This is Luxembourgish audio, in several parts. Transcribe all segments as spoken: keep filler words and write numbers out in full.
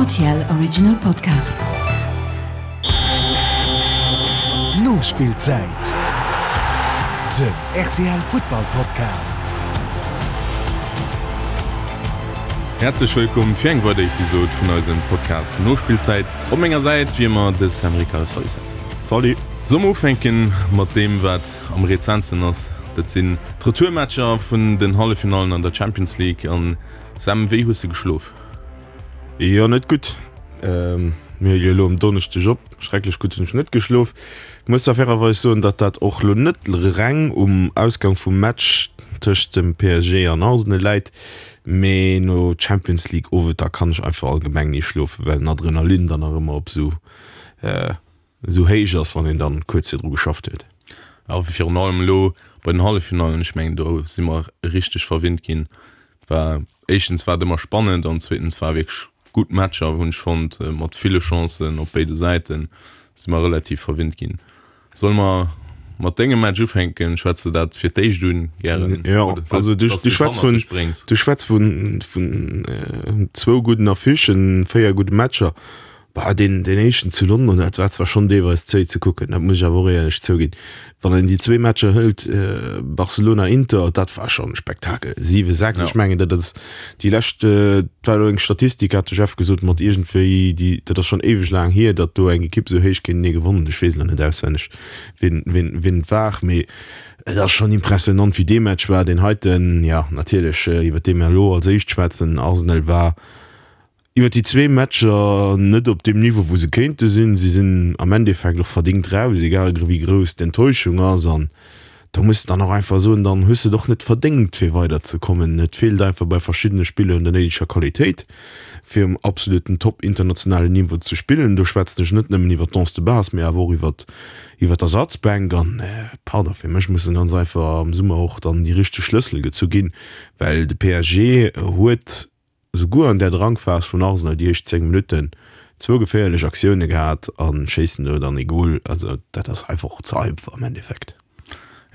R T L Original Podcast. Nospillzäit, den R T L Futtball Podcast. Häerzlech wëllkomm fir eng weider Episod vun eisem Podcast Nospillzäit. Op menger Säit wéi ëmmer de Sam Ricard. Salut Sam. Salut. Solle mer ufänken mat deem wat am rezentsten ass? Dat sinn d'Retourmatcher vun den Halleffinallen an der Champions League. An Sam, wéi hues de geschlof? Jo, net gutt. Mir huele jo elo um Donneschdeg op. Schrecklech gutt hunn ech net geschlof. Muss da fairerweis soen, datt dat och elo net reng um Ausgang vum Match tëscht dem P S G an Arsenal läit, mee no Champions League Owenter kann ech einfach allgemeng ni schlofen, well den Adrenalin dann nach ëmmer op esou esou héich ass, wann een dann kuerz virdru geschafft huet. A virun allem elo bei den Halleffinallen, ech mengen do si mer richteg verwinnt ginn. War éischtens war et ëmmer spannend an zweetens war wierklech gutt Matcher hunn ech fonnt, mat ville Chancen op béide Säiten, si mer relativ verwinnt ginn. Solle mer mat dengem Match ufänken? Schwätz de dat fir d'éischt un gären? Jo, also du, du schwätz vun, du schwätz vun, vun äh, zwou gudden Affichen, véier gudde Matcher. Bah, deen, deen éischten zu London, dat war zwar schonn deelweis zéi ze kucken, dat muss ech awer och éierlech zouginn. Wann een déi zwee Matcher hëlt, Barcelona-Inter, dat war schonn e Spektakel. Siwe, sechs, ech mengen, dat ass déi lescht, dat war elo eng Statistik, hat de Jeff gesot, mat iergendwéi, déi, dat ass schonn éiweg laang hier, datt do eng Ekipp esou héich géintenee gewonnen huet. Ech weess elo net auswenneg, wien, wien, wien et war, mee et ass schonn impressionant, wéi dee Match war. Deen heiten, jo, natierlech, iwwer dee mir elo als éischt schwätzen, Arsenal war, Iwwer déi zwee Matcher net op deem Niveau, wou se kéinte sinn. Si sinn am Endeffekt och verdéngt raus, egal wéi grouss d'Enttäuschung ass. An do muss de dann och einfach soen, dann hues de et och net verdéngt, fir weiderzekommen. Et feelt einfach bei verschiddene Spiller un der néideger Qualitéit, fir um absoluten Top internationalen Niveau ze spillen. Do schwätzen ech net nëmmen iwwer d'Onze de base, mee awer och iwwer iwwer d'Ersatzbänk. An, pardon, fir mech mussen ganz einfach am Summer och dann déi richteg Schlëssel gezu ginn, well de P S G huet, Souguer an der Drangphas vun Arsenal déi éischt zéng Minutten zwou geféierlech Aktioune gehat a schéissen do dann ee Gol. Also dat ass einfach och ze einfach am Endeffekt.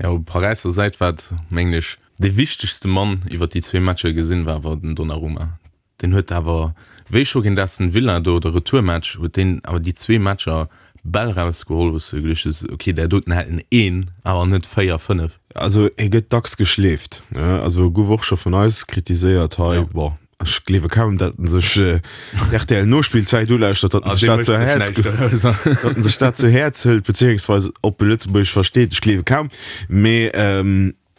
Jo, op Paräisser Säit war et, mengen ech, dee wichtegste Mann iwwer déi zwee Matcher gesinn, war awer den Donnarumma. Deen huet awer, wéi scho géint Aston Villa do de Retourmatch, huet deen awer déi zwee Matcher Bäll rausgeholl, wou s de geduecht hues, ok, där doten hält en een, awer net véier, fënnef. Also e gëtt dacks geschleeft, ne? Also gouf och scho vun eis kritiséiert hei. Bon, ech gleewe kaum, datt en sech R T L Nospillzäit ulauschtert, datt en sech dat zu Häerz, datt en sech dat zu Häerz hëlt, beziéungsweis ob e Lëtzebuergesch versteet, ech gleewe kaum. Mee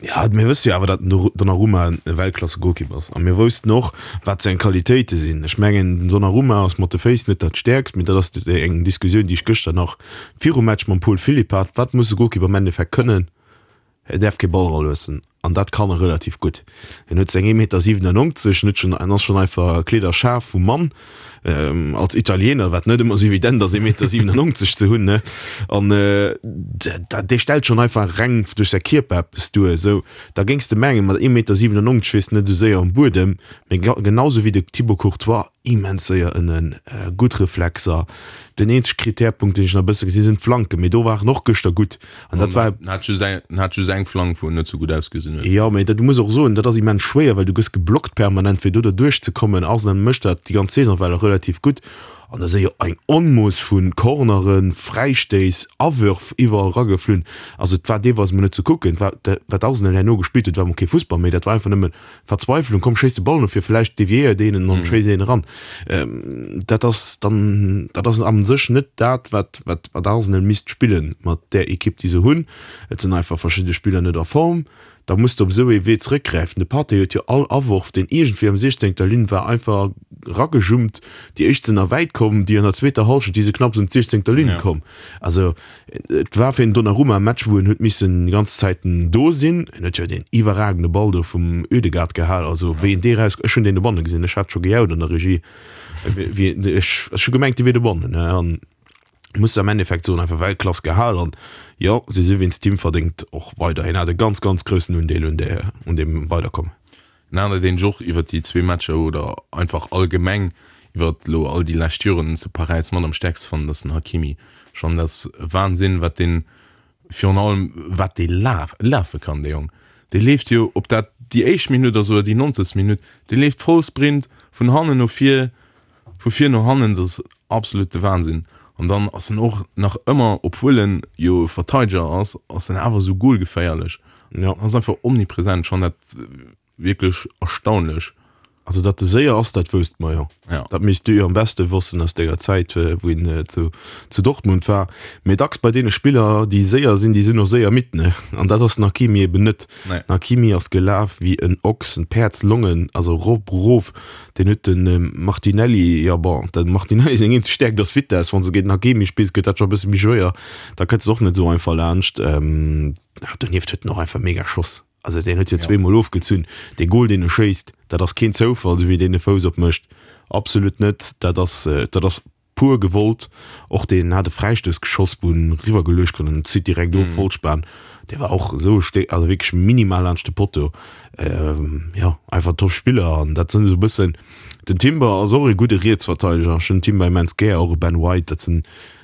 Jo, mir wësse jo awer, datt den Donnarumma e Weltklasse-Golkipp ass. A mir woussten och, wat seng Qualitéite sinn. Ech mengen, den Donnarumma ass mat de Féiss net dat Stäerkst, mee dat ass eng Diskussioun, déi ech gëschter nach virum Match mam Paul Philipp hat, Wat muss e Golkipp am Endeffekt kënnen? E däerf kee Ball eraluessen. An dat kann e relativ gutt. En huet seng ee Meter siwenennonzeg, en huet schonn, en ass schonn einfach kleederschaarf vum Mann. Als Italiener, wat net ëmmer esou evident ass, ee Meter siwenennonzeg ze hunn, ne? An dee stellt schonn einfach reng duerch säi Kierper eppes duer. Esou, da géings de mengen, mat ee Meter siwenennonzeg wiers de net esou séier um Buedem, mee genau esou wéi de Thibaut Courtois, immens séier ënnen, gutt Reflexer. Den eenzege Krittärpunkt, deen ech nach e bësse gesinn, sinn d'Flanken, mee do war en och gëschter gutt. An dat war. En hat just eng, en hat just eng Flank, wou en net sou gutt ausgesinn huet. Jo, mee dat, du muss och soen, dat ass immens schwéier, well du gëss geblockt permanent, fir do derduerch ze kommen. Arsenal mécht dat déi ganz Saison well relativ gutt. An da si jo eng Onmooss vu Corneren, Fräistéiss, Awërf iwwerall erageflunn. Also et war deelweis mol net ze kucken. Wat, wat Arsenal herno gespillt huet, war mol kee Fussball méi, dat war einfach nëmme Verzweiflung, komm schéiss de Ball no vir, vläicht deviéiert een en an schéisst een eran. Dat ass dann, dat ass a sech net dat, wat, wat, wat Arsenal misst spillen mat där Ekipp, déi se hunn. Et sinn einfach verschidde Spiller net a Form. Da muss de op esou ee Wee zeréckgräifen. De Partey huet jo all Aworf, deen iergendwéi am siechzéngter Linn war, einfach eragejumpt. Déi éischt sinn nach wäit komm, déi an der zweeter Hallschent, déi si knapps un d'siechzéngter Linn komm. Also et war fir den Donnarumma e Match, wou en huet missen déi ganz Zäiten do sinn. En huet jo deen iwwerragende Ball do vum Ødegaard gehal. Also wéi en dee raus, ech hunn deen dobanne gesinn, ech hat scho gejaut an der Regie, wéi ech, ech hu gemengt, dee wier dobannen. An muss am Endeffekt soen, einfach Weltklass gehal. An jo, si si wéinst him verdéngt och weider. Hien hat e ganz, ganz groussen Undeel un där, un deem Weiderkommen. En aner, deen ech och iwwert déi zwee Matcher oder einfach allgemeng iwwert elo all déi lescht Joren zu Paräis mat am stäerkste fannen, ass den Hakimi. Ech fannen, dat ass Wahnsinn, wat deen, virun allem wat dee laf, lafe kann, dee Jong. Dee leeft jo, ob dat déi éischt Minutt ass oder déi nonzegst Minutt, dee leeft Vollsprint vun hannen no vir, Vu vir no hannen, dat ass absolute Wahnsinn. An dann ass en och nach ëmmer, obwuel en jo Verteideger ass, ass en awer sou golgeféierlech. Ja. Ass einfach omnipresent. Ech fannen dat wierklech erstaunlech. Also datt e séier ass, dat wousste mer jo. Ja. Dat misst du jo am beschte wossen aus denger Zäit, wou en zu, zu Dortmund war. Mee dacks bei deene Spiller, déi séier sinn, déi sinn och séier midd, ne? An dat ass den Hakimi eben net. Nee. Den Hakimi ass gelaf wéi en Ochs, en Päerdslongen, also rop, erof. Deen huet den Martinelli, jo bon, dem Martinelli seng eenzeg Stäerkt ass Vitess. Wann s de géint den Hakimi spills, gëtt dat scho e bësse méi schwéier. Da kënns de och net esou einfach laanscht. Donieft huet en och einfach mega Schoss. Also deen huet jo zweemol ofgezunn. Dee Gol, deen e schéisst, dat ass keen Zoufall, esou wéi deen de Fouss opmécht. Absolut net. Dat ass, dat ass pur gewollt. Och deen hat e Fräistouss geschoss, wou en eriwwergeluecht krut an en zitt direkt of, Vollspan. Dee war och esou e Stéck, also wierklech minimal laanscht de Potto. Jo, einfach top Spiller. An dat sinn esou e bëssen, den Timber ass och e gudde Rietsverteideger. Ech hunn den Timber immens gär, och e Ben White, dat sinn,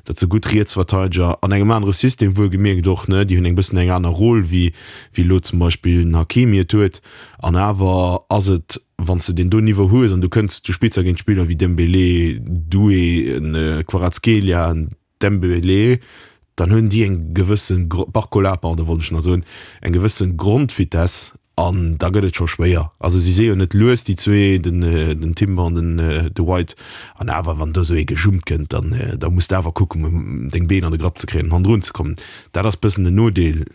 Dat se gutt Rietsverteideger an engem anere System wuelgemierkt och, ne, déi hunn eng bëssen eng aner Rôle wéi wéi elo zum Beispill den Hakimi et huet. An awer ass et, wann s de deen do Niveau hues an du kënns, du spills da géint Spiller wéi Dembélé, Doué, en Kvaratskhelia, en Dembélé, dann hunn déi eng gewësse Barcola, pardon, wollt ech nach soen, eng gewësse Grondvitesse An da gëtt et scho schwéier. Also si si jo net lues, déi zwee, den, den Timber an den de White. An awer, wann do esou ee gejummt kënnt, dann, da muss de awer kucken, deng Been an de Grapp ze kréien an hannendrun ze kommen. Dat ass bëssen den Nodeel.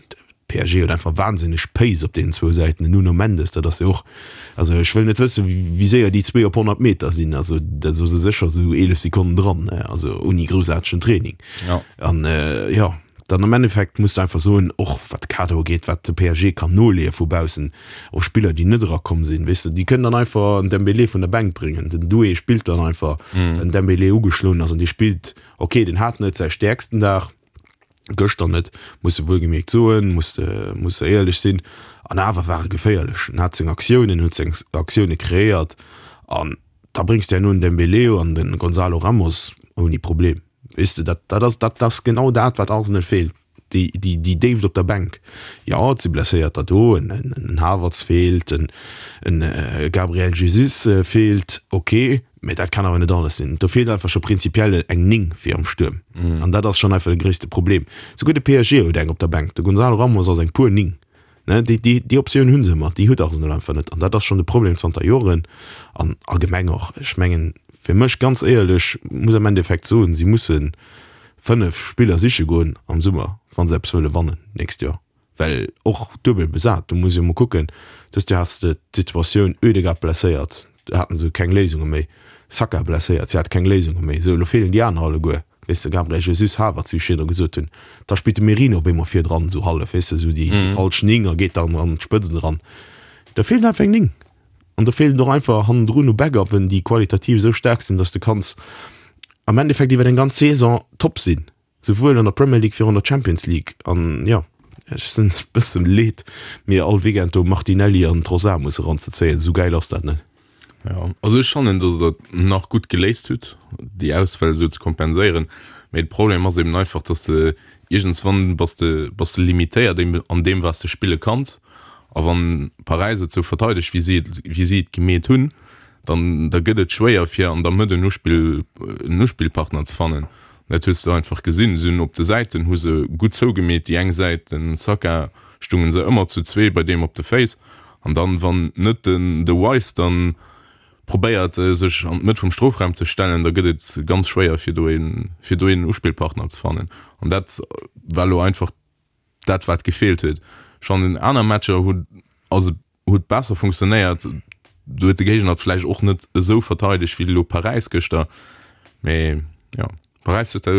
P S G huet einfach wahnsinneg Pace op deenen zwou Säiten. Den Nuno Mendes, dat ass jo och, also ech wëll net wëssen, wéi séier déi zwee op honnert Meter sinn. Also da si se sécher esou eelef Sekonnen dran, also ouni groussaartegen Training. An jo. Dann am Endeffekt muss de einfach soen, och wat de Kader ugeet, wat de P S G kann noleeë vu baussen, och Spiller, déi net erakomm sinn, weess de, déi kënnen dann einfach en Dembélé vun der Bänk bréngen. Den Doué spillt dann einfach, well den Dembélé ugeschloen ass an dee spillt, okay, deen hat net säi stäerksten Dag, gëschter net, muss de wuelgemierkt soen, muss de, muss de éierlech sinn, an awer war e geféierlech. En hat seng Aktiounen, huet seng Aktioune kreéiert an da bréngs de herno en Dembélé an de Gonzalo Ramos ouni Problem. Weess de, dat, dat ass, dat ass genau dat, wat Arsenal feelt, déi, déi, déi Déift op der Bänk. Jo, et si Blesséierter do, en, en, en Havertz feelt, en, en Gabriel Jesus feelt, ok, mä dat kann awer net alles sinn. Do feelt einfach scho prinzipiell eng Néng fir am Stuerm. An dat ass schonn einfach de gréisste Problem. Souguer de P S G huet eng op der Bänk, de Gonzalo Ramos ass eng pur Néng. Ne, déi, déi, déi Optioun hu se ëmmer, déi huet Arsenal einfach net. An dat ass schonn de Problem zanter Joren. An allgemeng och, ech mengen, fir mech ganz éierlech, muss am Endeffekt soen, si musse fënnef Spiller siche goen am Summer, wa se eppes wëlle wannen d'nächst Joer. Well och duebel besat, do muss ee jo mol kucken, dëst Joer has de d'Situatioun, Ødegaard blesséiert, do haten se keng Léisunge méi, Saka blesséiert, si hate keng Léisunge méi. Sou, elo feelen déi aner alleguer. Weess de, Gabriel Jesus, Havertz, wéi ech virdru gesot hunn, da spillt de Merino op eemol virdran esou hallef, weess de, esou déi falsch Ning a geet dann an d'Spëtzt eran. Do feelt einfach eng Ning. An do feelen och einfach hannendrun u Backuppen, déi qualitativ esou staark sinn, datt s de kanns am Endeffekt iwwer eng ganz Saison top sinn, souwuel an der Premier League wéi och an der Champions League. An jo, ech sinn e bëssen leed, mir all Weekend do Martinelli an Trossard musse eranzezéien, esou gäil ass dat net. Jo, also ech fannen, dass Der dat nach gutt geléist hutt, déi Ausfäll esou ze kompenséieren. Mee de Problem ass eben einfach, dass de iergendswann bass de, bass de limitéiert eben an deem, wat s de spille kanns. A wann Paräis et sou verteidegt, wéi si et, wéi si et gemeet hunn, dann, da gëtt et schwéier, fir an der Mëtt en Uspill, en Uspillpartner ze fannen. Dat hues de einfach gesinn. Si hunn op de Säiten hu se gutt zougemeet, déi eng Säit, den Saka, stungen se ëmmer zu zwee bei deem op de Féiss. An dann, wann net den de Wise dann probéiert sech an d'Mëtt vum Strofraum ze stellen, da gëtt et ganz schwéier fir do een fir do een Uspillpartner ze fannen. An dat war elo einfach dat wat gefeelt huet. Ech fannen aner Matcher hunn ass et huet besser funktionéiert. Do huet de Géigner et vläicht och net esou verteidegt wéi elo Paräis gëschter. Mee jo. Paräis huet dat,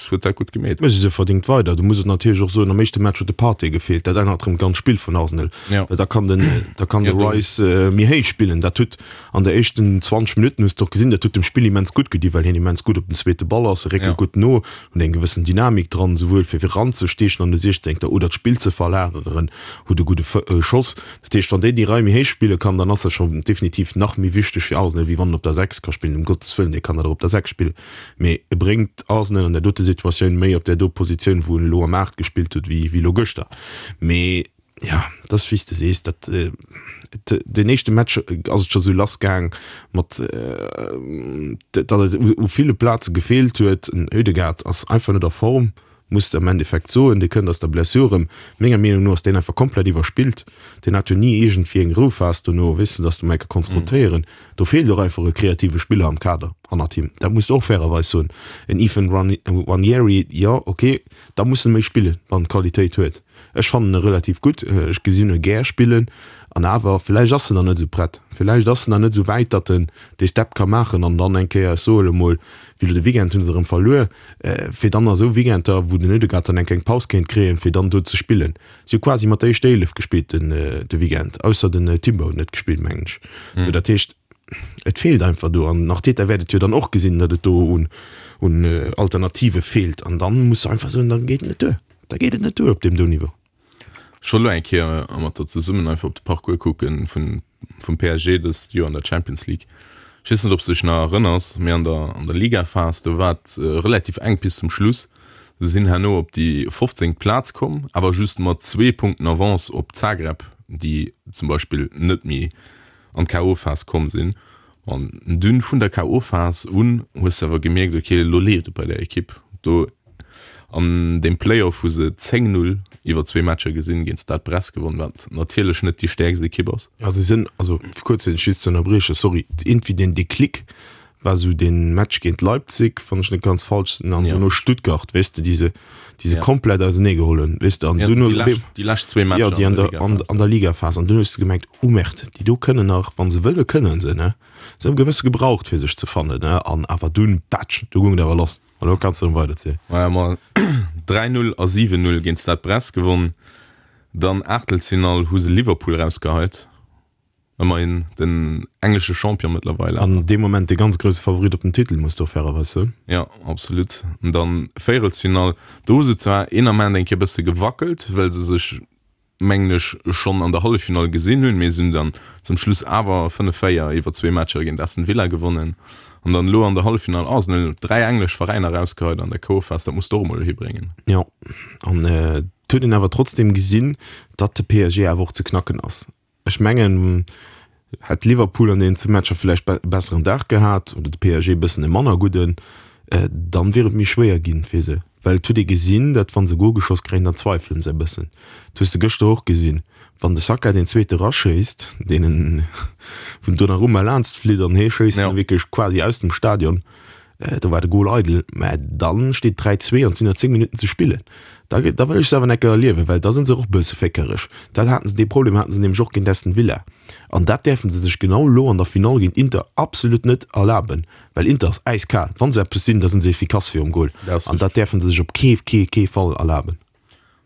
huet dat gutt gemeet. Mee si se verdingt weider. Du muss et natierlech och soen, am éischte Match huet de Partey gefeelt. Dat ännert erëm d'ganz Spill vun Arsenal. Ja. Well da kann den, da kann de Ja, do. Rice méi héich spillen. Dat huet an de éischten zwanzeg Minutten, hues de och gesinn, dat huet dem Spill immens gutt gedi, well hien immens gutt op den zweete Ball ass, e réckelt Ja. gutt no, huet eng gewëssen Dynamik dran, souwuel fir eranzesteechen an de Siechzéngter oder d'Spill ze verlageren, huet e gudde Schoss. Dat heescht, wann deen déi Rei méi héich spille kann, dann ass dat schonn definitiv nach méi wichteg fir Arsenal, wéi wann en op der Sechs ka spillen. Ëm Gottes Wëllen, dee kann dat och op der Sechs spillen, mee e bréngt Arsenal an där dote Situatioun méi op där do Positioun, wou en elo am Aacht gespillt huet, wéi elo gëschter. Mee ja, dat ass wéi s de sees, dat den éischte Match ass et scho sou lass gaang mat datt et u ville Plaze gefeelt huet. Den Ødegaard ass einfach net a Form, muss de am Endeffekt soen. Dee kënnt aus der Blessure erëm. Menger Meenung no ass deen einfach komplett iwwerspillt. Deen hat jo ni iergendwéi eng Rouphas dono, weess de, datt de mol enke konns rotéieren. Do feelt och einfach e kreative Spiller am Kader hannert him. Dat muss de och fairerweis soen. En Ethan Nwaneri, jo, ok, da muss en méi spillen, wann en d'Qualitéit huet. Ech fannen e relativ gutt, ech gesinn e gär spillen an awer villäicht ass en nach net esou prett, villäicht ass en nach net esou wäit, datt en dee Step ka maachen an dann eng Kéier, ech soe elo mol, wéi elo de Weekend hu se erëm verluer, fir dann a sou Weekender, wou den Ødegaard dann eng kleng Paus kéint kréien, fir dann do ze spillen. Si hu quasi mat der éischter Eelef gespillt den de Weekend, ausser den Timber huet net gespillt, mengen ech. Sou, dat heescht, et feelt einfach do an den Arteta wäert et jo dann och gesinn, datt et do un un Alternative feelt an dann muss de einfach soen, dann geet et net duer. Da geet et net duer op deem do Niveau. Ech wollt elo eng Kéier mat der zesummen einfach op de Parcours kucken vun vum P S G dëst Joer an der Champions League. Ech weess net, ob s de dech nach erënners, mee an der an der Ligaphas, do war et relativ enk bis zum Schluss. Se sinn herno op déi fofzéngt Plaz komm, awer just mat zwee Punkten Avance op Zagreb, déi zum Beispill net méi an d'K O Phas komm sinn. An dunn vun der K O Phas un hues de awer gemierkt, ok, elo leeft et bei der Ekipp. Do an deem Playoff hu se zéng Null iwwer zwee Matcher gesinn géint Stade Brest gewonn, wat natierlech net déi stäerkst Ekipp ass. Jo, se sinn, also fir kuerz dech just ze ënnerbriechen, sorry, iergendwéi den Déclic war esou dee Match géint Leipzig, wann ech net ganz falsch sinn, an duerno Stuttgart, weess de, déi se, déi se komplett auseneegeholl hunn, weess de, an duerno déi lescht, déi lescht zwee Matcher an der Ligaphas. An der Ligaphas, an dunn hues de gemerkt, oh Merde, déi do kënnen nach, wa se wëlle kënnen se, ne? Se hu e bësse gebraucht fir sech ze fannen, ne? An awer dunn, patsch, du goung et awer lass. An elo kanns de erëm weiderzielen. Maja, ma dräi Null a siwen Null géint Stade Brest gewonn. Dann Aachtelsfinall hu se Liverpool erausgeheit. Ëmmerhin den englesche Champion mëttlerweil awer. An dee Moment de ganz grousse Favorit op den Titel, muss de och fairerweis soen. Jo, absolut. An dann Véierelsfinall, do hu se zwar een Ament eng Kéier bësse gewackelt, well se sech mengen ech, schonn an der Halleffinall gesinn hunn. Mee se hunn dann zum Schluss awer fënnef véier iwwer zwee Matcher géint Aston Villa gewonnen. An dann elo an der Halleffinall Arsenal, dräi englesch Veräiner erausgeheit an der K O-Phas, dat muss de och emol hibréngen. Jo, an et huet een awer trotzdeem gesinn, datt de P S G awer och ze knacken ass. Ech mengen, hätt Liverpool an deenen zwee Matcher villäicht e besseren Dag gehat oder de P S G e bëssen e manner gudden, dann wier et méi schwéier ginn fir se. Well et huet ee gesinn, datt wa se e Gol geschoss kréien, dann zweifele se e bëssen. Dat hues de gëschter och gesinn, wann de Saka deen zweete raschéisst, deen en vum Donnarumma laanscht flitt an hee schéisst en wierklech quasi aus dem Stadion. Do war de Gol eidel, mä dann steet dräi zwee an et sinn nach zéng Minutten ze spillen. Da da wëll ech se awer enker erliewen, well da sinn se och e bësse féckereg. Dat haten se, dee Problem haten se nämlech och géint Aston Villa. An dat däerfe se sech genau elo an der Finall géint Inter absolut net erlaben, well Inter ass äiskal. Wa se eppes sinn, da sinn se efficace virum Gol. An dat däerfe se sech op kee kee kee Fall erlaben.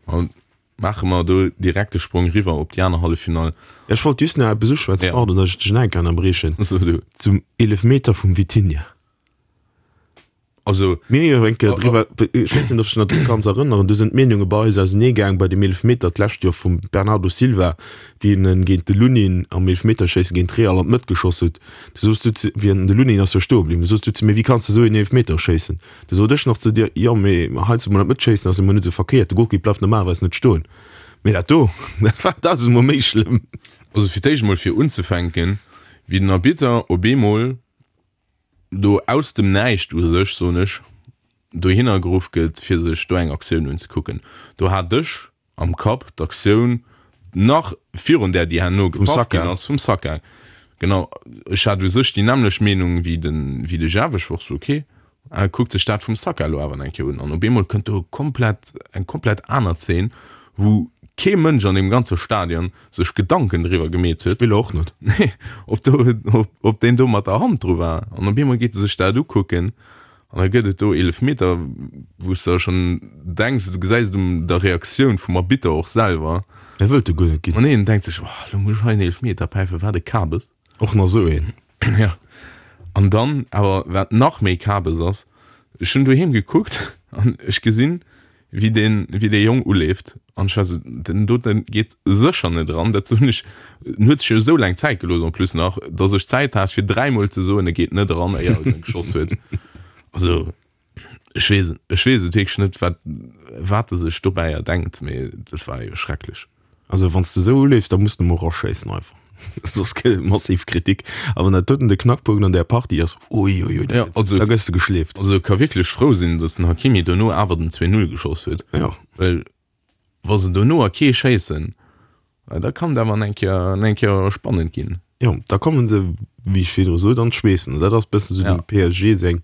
An maache mer do direkt de Sprong riwwer op déi aner Halleffinall. Ech wollt just nach eppes uschwätzen, pardon, datt ech dech nach eng Kéier ënnerbriechen, zum Eelefmeter vum Vitinha. Also, Mir hu jo eng Kéier driwwer, ech weess net, ob s de dech nach dru kanns erënneren, do sinn d'Meenunge bei eis auseneegaang bei dem Eelefmeter d'lescht Joer vum Bernardo Silva, wéi en en géint de Lunin am Eelefmeterschéisse géint Real an d'Mëtt geschoss huet. Du soos du zu, wéi en, de Lunin ass jo stoe bliwwen, du soos du zu mir, wéi kanns de esou een Eelefmeter schéissen? Du sot ech nach zu dir, jo, mee heiansdo mol an d'Mëtt schéissen ass emol net esou verkéiert, de Golkipp bleift normalerweis net stoen. Mee dat do, dat war dausendmol méi schlëmm. Also fir d'éischt emol fir unzefänken, wéi den Arbitter op eemol do aus dem Näischt u sech, soen ech, dohinner geruff gëtt, fir sech do eng Aktioun unzekucken. Do hat ech am Kapp d'Aktioun nach virun där, déi herno gepaff ginn ass, vum Saka. Genau, ech hat u sech déi nämmlecht Meenung wéi de, wéi de Jeff. Ech wor sou, ok, e kuckt sech dat vum Saka elo awer eng Kéier un. An op eemol kënnt do komplett, eng komplett aner Zeen, wou kee Mënsch an deem ganze Stadion sech Gedanken driwwer gemeet huet. Spiller och net. Nee, ob do, ob deen do mat der Hand dru war. An op eemol geet e sech dat ukucken an da gëtt et do Eelefmeter, wou s de schonn denks, du gesäis et un der Reaktioun vum Arbitter och selwer. E wëllt e guer net ginn. Ma nee, en denkt sech, oh, elo muss ech hei en Eelefmeter päifen, wat e Kabes. Och nach esou een. Jo. An dann awer, wat nach méi Kabes ass, ech hunn doheem gekuckt an ech gesinn, wéi deen, wéi dee Jong uleeft an ech war sou, den doten geet sécher net eran, dat soen ech, en huet sech jo esou laang Zäit gelooss en plus nach, dass ech Zäit hat fir dräimol ze soen, e geet net eran, éier en geschoss huet. Also ech weess, ech weess et wierklech net, wat, wat e sech dobäi erdenkt, mee dat war jo schrecklech. Also wann s de esou uleefs, da muss de mol raschéissen einfach. Soss gëtt et massiv Kritik. A wann dat doten de Knackpunkt an där Partie ass, uiuiui, da Ja, gëtt, also, da gëss de geschleeft. also ka wierklech frou sinn, datt den Hakimi dono awer den zwee Null geschoss huet. Ja. Well wa se dono a kee schéissen, da kann et awer eng Kéier, eng Kéier spannend ginn. Jo, da kommen se, wéi ech virdru sot, an d'Schweessen. An dat ass bëssen esou Ja. dem P S G seng,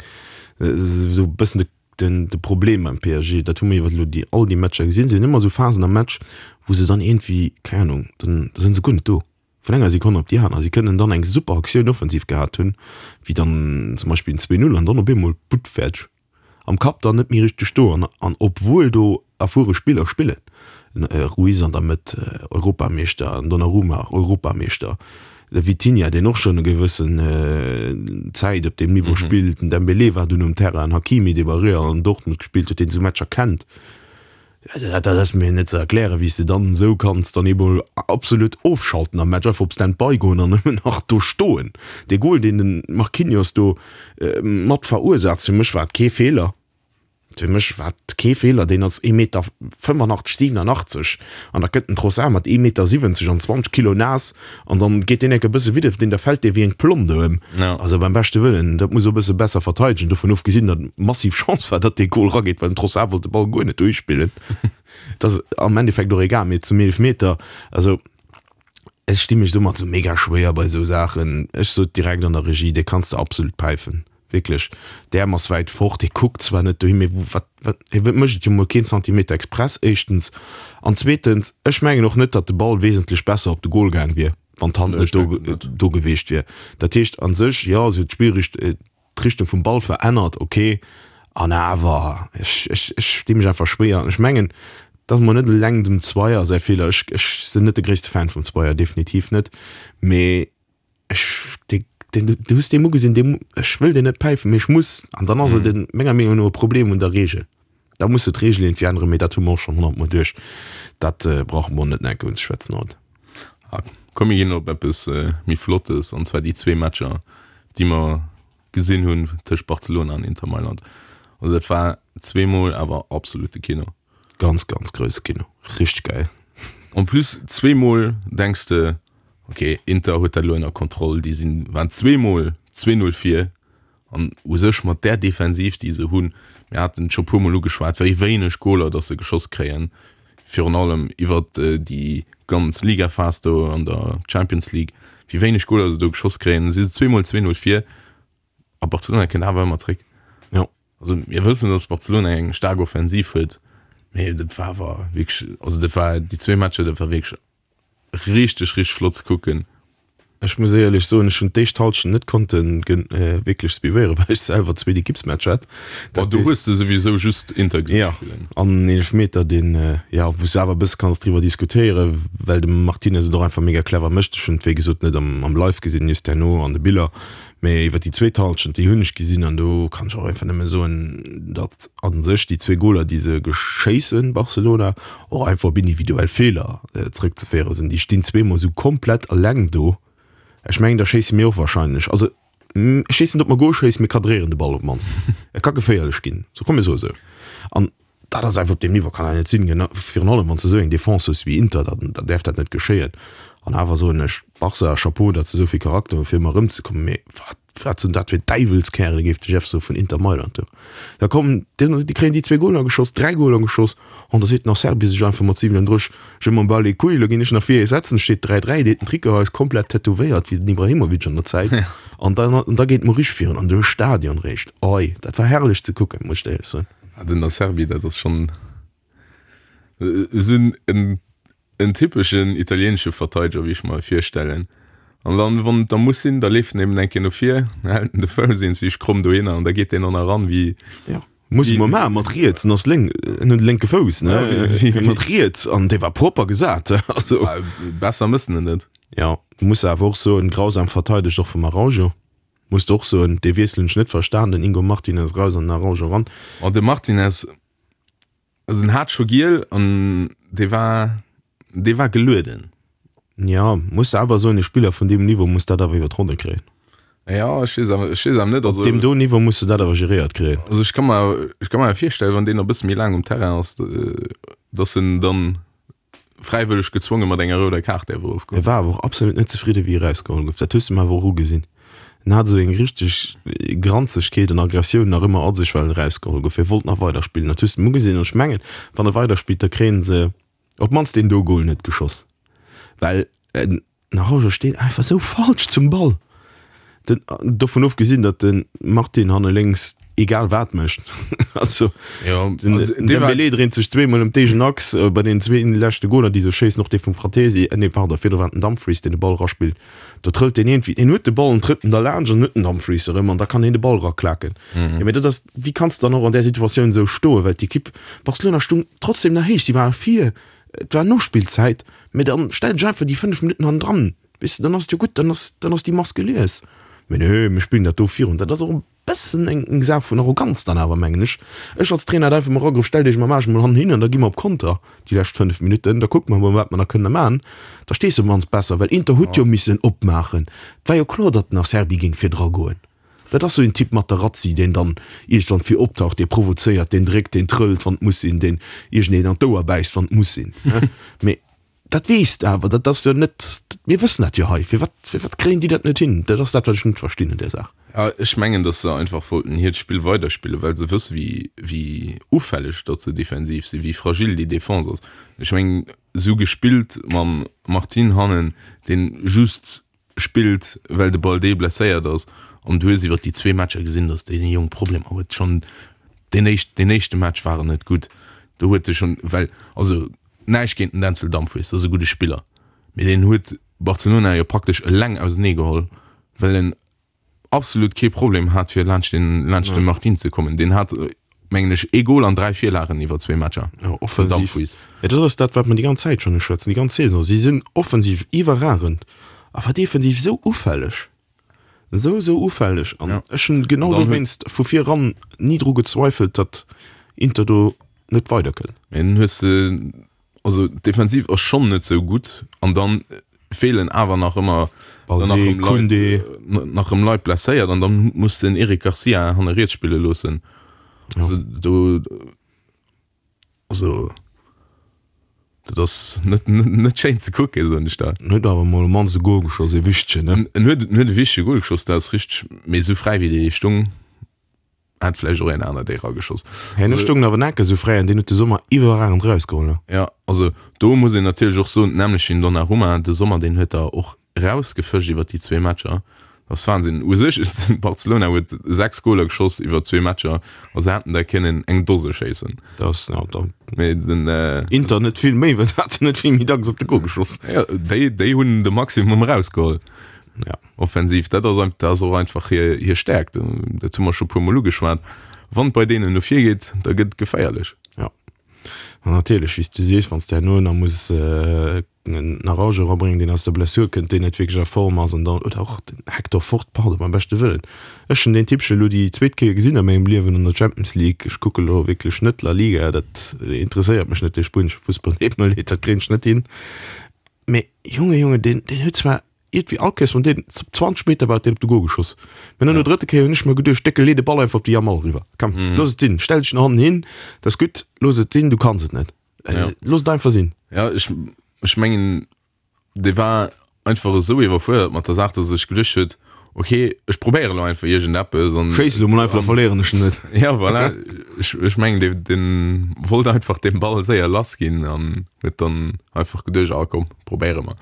esou bëssen de, den, de Problem beim P S G. Dat hu mir iwwer elo déi, all déi Matcher gesinn. Se hunn ëmmer esou Phasen am Match, wou se dann iergendwéi, keng Ahnung, dann da sinn se guer net do. Vun enger Sekonn op déi aner. Si kënnen dann eng super Aktioun offensiv gehat hunn, wéi dann zum Beispill en zwee Null, an dann op eemol butt, fäerdeg. Am Kapp dann net méi richteg do. An, an obwuel do erfuere Spiller spillen, en Ruiz an der Mëtt, Europameeschter, en Donnarumma, Europameeschter, de Vitinha, deen och schonn e gewëssen Zäit op deem Niveau spillt, den Dembélé war dunn um Terrain, en Hakimi, dee bei Real an Dortmund gespillt huet, deen esou Matcher kennt. Dat ass mir net ze erklären, wéi s de dann esou kanns dann eemol absolut ofschalten am Match, einfach op Stand-by goen an nëmmen nach do stoen. Dee Gol, deen de Marquinhos do mat verursaacht, fir mech war et kee Feeler. Fir mech war et kee Feeler, deen ass ee Meter fënnefenachtzeg, siwenenachtzeg an da kënnt den Trossard mat ee Meter siwwenzeg an zwanzeg Kilo naass an dann geet deen enke bësse widder deen, da fält dee wéi eng Plomm do ëm. Ja. Also beim beschte Wëllen, dat muss e bësse besser verteidegen, dovun ofgesinn, datt massiv Chance war, datt dee Gol rageet, well den Trossard wollt de Ball guer net duerchspillen. Et ass am Endeffekt och egal, mee zum Eelefmeter, also ech sti mech domat sou mega schwéier bei sou Saachen. Ech sot direkt an der Regie, dee kanns de absolut päifen. Wierklech, d'Äerm ass wäit fort, hie kuckt zwar net dohin, mee wat, wat, hie mécht et jo mol keen Zentimeter express, éischtens. An zweetens, ech mengen och net, datt de Ball wesentlech besser op de Gol gaang wier, wann d'Hand net do, do geweecht wier. Dat heescht a sech, jo, se huet d'Spillricht, d'Richtung vum Ball verännert, ok, an awer, ech, ech, ech sti mech einfach schwéier. An ech mengen, dat ass mol net eleng dem Zwayer säi Feeler, ech, ech sinn net de gréisste Fan vum Zwayer, definitiv net, mee ech, dee, deen, du hues deem ugesinn, deem, ech wëll deen net päifen, mee ech muss. An dann ass et en, menger Meenung no e Problem un der Regel. Da muss de d'Regel iergendwéi änneren, mee dat hu mer och schonn honnertmol duerch. Dat brauche mer net nach eng Kéier unzeschwätzen haut. Ah, komm mir ginn op eppes méi Flottes, an zwar déi zwee Matcher, déi mer gesinn hunn tëscht Barcelona an Inter Mailand. Also dat war zweemol awer absolute Kino. Ganz, ganz grousse Kino. Richteg gäil. En plus zweemol denks de, Ok, Inter huet dat elo ënner Kontroll, déi sinn, waren zweemol zwee Null vir an u sech mat där Defensiv, déi se hunn, mir haten et scho puermol ugeschwat, wéi wéineg Goler datt se geschoss kréien, virun allem iwwert déi ganz Ligaphas do an der Champions League, wéi wéineg Goler se do geschoss kréien, si se zweemol zwee Null vir a Barcelona kënnt awer ëmmer zréck. Jo. Also mir wëssen, datt Barcelona eng staark Offensiv huet, mee dat war awer wierklech, also dat war déi zwee Matcher, dat war wierklech Richteg richteg flott ze kucken. Ech muss éierlech soen, ech hunn d'éischt Halschent net konnte wierklech suivéieren, well ech selwer zweet Ekippsmatch hat. Ma do hues de souwisou just Inter gesinn spillen. Jo, an en Eelefmeter, deen, jo, wou s de awer e bësse kanns driwwer diskutéieren, well de Martinez et och einfach mega clever mécht. Ech hunn et wéi gesot net am Live gesinn, just herno an de Biller. Mee iwwer déi zweet Halschent, déi hunn ech gesinn an do kann ech och einfach nëmme soen, datt a sech déi zwee Goler, déi se geschéissen, Barcelona, och einfach op individuell Feeler zrëckzeféiere sinn. Déi stinn zweemol esou komplett eleng do. Ech mengen, da schéisse mir och wahrscheinlech, also ech weess net, ob mer Gol schéissen, mir kadréieren de Ball op d'mannst. Et ka geféierlech ginn, sou komm mir soe sou. An dat ass einfach op deem Niveau kann dat net sinn, virun allem wann s de esou eng Defense hues wéi Inter, da da däerf dat net geschéien. An awer soen ech, Barca, Chapeau, datt se esou vill Charakter hunn, fir ëmmer erëmzekommen. Mee wat, wat sinn dat fir Däiwelskärele, géif de Jeff soen, vun Inter Mailand do. Da kommen déi, déi kréien déi zwee Goler geschoss, dräi Goler geschoss, an da seet den Acerbi sech einfach mat siwenunddrësseg, Je m'en bats les couilles, elo ginn ech nach vir ee setzen, et steet dräi dräi, deet den Trikot eis komplett tätowéiert wéi den Ibrahimovic an der Zäit, an dann, an da geet d'Morich virun an de Stadion réischt. Oi, dat war herrlech ze kucken, muss ech der éierlech soen. Ah, den Acerbi, dat ass schonn esou en, en typeschen italieenesche Verteideger, wéi ech mer e virstellen. An dann, wann et da muss sinn, da leeft en eben eng Kéier no vir, da hält en de Fouss eenzeeg kromm dohinner an da geet deen och nach eran, wéi. Jo, muss e mol maachen, mat riets, en ass lénk, en huet e lénke Fouss, ne? Ja, mat riets, an dee war propper gesat, also. Besser mëssen en net. Jo, muss awer och soen, grausam verteidegt och vum Araujo. Muss de och soen, dee Wiessel hunn ech net verstan, den Ingo Martinez raus an den Araujo ran. Oh, de Martinez, also en hat scho giel an dee war, dee war gelueden. Ja, muss de awer soen, e Spiller vun deem Niveau muss dat awer iwwer d'Ronne kréien. Ja, ech weess awer, ech weess awer net, also. Op deem do Niveau muss de dat awer geréiert kréien. Also ech ka mer, ech ka mer virstellen, wann deen e bësse méi laang um Terrain ass, dass en dann fräiwëlleg gezwonge mat enger rouder Kaart däerf erofgoen. E war awer och absolut net zefridde wéi e erausgeholl gouf, dat hues de em awer och ugesinn. En hat esou eng richteg Granzegkeet an Aggressioun nach ëmmer a sech, well en erausgeholl gouf. Hie wollt nach weiderspillen, dat hues de em ugesinn. An ech mengen, wann e weiderspillt, da kréie se op d'mannst deen do Gol net geschoss, well en Araujo steet einfach esou falsch zum Ball. Den, dovun ofgesinn, datt de Martin hanne lénks egal wat mécht. Also, Ja, den, also, den dee war- Dembélé dréint sech zweemol ëm d'eegen Achs äh, bei den zwee leschte Goler, déi se schéissen, och dee vum Frattesi, äh, nee, pardon, virdru war et den Dumfries, deen de Ball raspillt. Do trëllt deen iergendwéi, deen huet de Ball an trëtt en da laanscht an huet den Dumfries erëm an da kann hien de Ball raklaken. Mhm. Ja, mee dat ass, wéi kanns de dann och an där Situatioun esou stoen, well d'Ekipp Barcelona stung trotzdem nach héich, si ware vir, et war Nospillzäit, mee dann stell dech einfach déi fënnef Minutten hannendran, weess de, dann ass et jo gutt, dann ass, dann ass déi Mass gelies. Mee nee, mir spillen dat do virun. Dat ass och e bëssen eng, eng Saach vun Arroganz dann awer, mengen ech. Ech als Trainer hätt einfach mol erageruff, Stellt iech mam Aarsch mol hannen hin an da gi mer op Konter déi lescht fënnef Minutten, da kucke mer mol, wat mer nach kënne man. Da stees de op d'mannst besser, well Inter huet jo missen opmaachen. Et war jo kloer, datt den Acerbi géing virdra goen. Dat ass sou een Typ Materazzi, deen dann iergendwann vir optaucht, dee provozéiert, deen dréckt, deen trëllt, wann et muss sinn, deen iergendeen an d'Ouer bäisst, wann et muss sinn. Mee dat weess de awer, dat ass jo net, mir wëssen dat jo hei. Firwat, firwat kréien déi dat net hin? Dat ass dat, wat ech net verstinn un där Saach. Ja, ech mengen, datt se einfach wollten hiert Spill weiderspillen, well se wësse wéi, wéi ufälleg datt se defensiv sinn, wéi fragil déi Defense ass. Ech mengen, esou gespillt mam Martin hannen, deen just spillt, well de Balde blesséiert ass, an du hues iwwer déi zwee Matcher gesinn, datt dee Jong Problemer huet. Schonn deen éischt, deen éischte Match war en net gutt, do huet e schonn, well, also näischt géint den Denzel Dumfries, dat ass e gudde Spiller, mee deen huet Barcelona jo praktesch eleng ausenee geholl, well en absolut kee Problem hat fir laanscht den, laanscht de Martin ze kommen. Deen hat, mengen ech, ee Gol an dräi Virlagen iwwer zwee Matcher. Ja, offensiv. Dumfries. Ja, dat ass dat, wat mer déi ganz Zäit schonn uschwätzen, déi ganz Saison. Si sinn offensiv iwwerragend, awer defensiv esou ufälleg. Esou, esou ufälleg. An Ja. ech hunn genau An dann huet- dowéinst vu vir eran ni dru gezweifelt, datt Inter do net weiderkënnt. Mee dann hues de, also defensiv ass schonn net sou gutt an dann feelen awer nach ëmmer Balde, nach ëm Leit, Koundé. nach ëm Leit blesséiert an dann muss den Eric Garcia hanne riets spille loossen. Also do also dat ass net net net schéin ze kucken, soen ech der. En huet awer mol mannst e Goal geschoss, e wichtegen, ne? En huet en huet e wichtege Goal geschoss, dat ass richteg, mee esou fräi wéi dee stung, hätt vläicht och een aner déi erageschoss. Herno Also- stung awer Necke sou fräi an deen huet de Sommer iwwerragend erausgeholl, ne? Ja, also do muss een natierlech och soen, d'nämmlecht wéi den Donnarumma, de Sommer deen huet der och rausgefëscht iwwer déi zwee Matcher. Dat ass Wahnsinn. U sech, Barcelona huet sechs Goler geschoss iwwer zwee Matcher a se hätten der kënnen eng Dose schéissen. Dat ass, ja, da Mee den, äh, Inter net vill méi, well se haten net vill méi dacks op de Goal geschoss. ja, déi, déi hunn de Maximum erausgeholl. Ja. Offensiv, dat ass, dat ass och einfach hir, hir Stärkt. Dat hu mer scho puer Mol ugeschwat. Wann et bei deenen no vir geet, da gëtt et geféierlech. Ja. An natierlech, wéi s du sees, wann s de herno nach muss äh, en Araujo erabréngen, deen aus der Blessur kënnt, deen net wierklech a Form ass an dann, oder och den Hector Fort, pardon, beim beschte Wëllen. Ech hunn deen Typchen elo déi zweet Kéier gesinn a mengem Liewen an der Champions League. Ech kucke lo wierklech net La Liga, dat interesséiert mech net, dee spuenesche Fussball, deet mer leed, dat kréien ech net hin. Mee Junge, Junge, deen, deen huet zwar iergendwéi all Kéiers, wann deen zwanzeg Meter war, huet deen op de Goal geschoss. Mee no der drëtte Kéier hunn ech mer geduecht, Décke, lee de Ball einfach op de Yamal eriwwer. Komm, looss et sinn, stell dech no hannen hin, dat ass gutt, looss et sinn, du kanns et net. Looss et einfach sinn. Ja, ech, ech mengen, dee war einfach esou iwwerfuerdert mat der Saach, dass e sech geduecht huet, okay, ech probéiere lo einfach iergendeppes an Schéiss elo mol einfach, da verléieren ech en net. Ja, voilà. Ech, ech mengen, dee, deen wollt einfach den Ball séier lass ginn an huet dann einfach geduecht, ah komm, probéiere mer.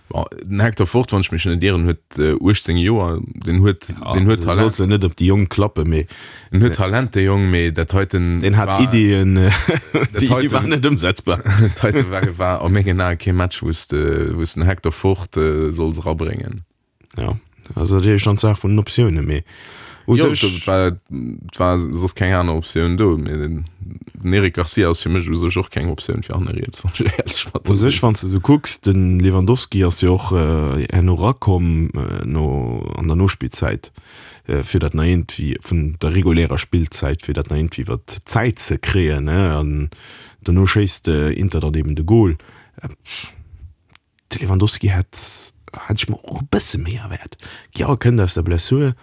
Bon, den Hector Fort, wann ech mech net ieren, huet uechtzéng Joer, den huet, den huet Talent. Solls de net op déi Jonk klappen, mee. En huet Talent, dee Jong, mee dat heiten Deen hat war, Iddien, déi heiten, waren net ëmsetzbar. Dat heite war, war a mengen Ae kee Match, wou s de, wou s den Hector Fort solls erabréngen. Ja, ass natierlech dann d'Saach vun den Optiounen, mee u Jo, sech. et war, et war soss keng aner Optioun do, mee den, den Eric Garcia ass fir mech u sech och keng Optioun fir hanne riets, wann ech éierlech mat U der sech, sinn. wann s de esou kucks, de Lewandowski ass jo och herno erakomm no, an der Nospillzäit, fir dat nach iergendwéi, vun der regulärer Spillzäit, fir dat nach iergendwéi iwwer d'Zäit ze kréien, ne, an dono schéisst Inter dann eben de Gol. De Lewandowski hätt, hätt ech mer och e bësse méi erwaart. Jo, e kënnt aus der Blessur,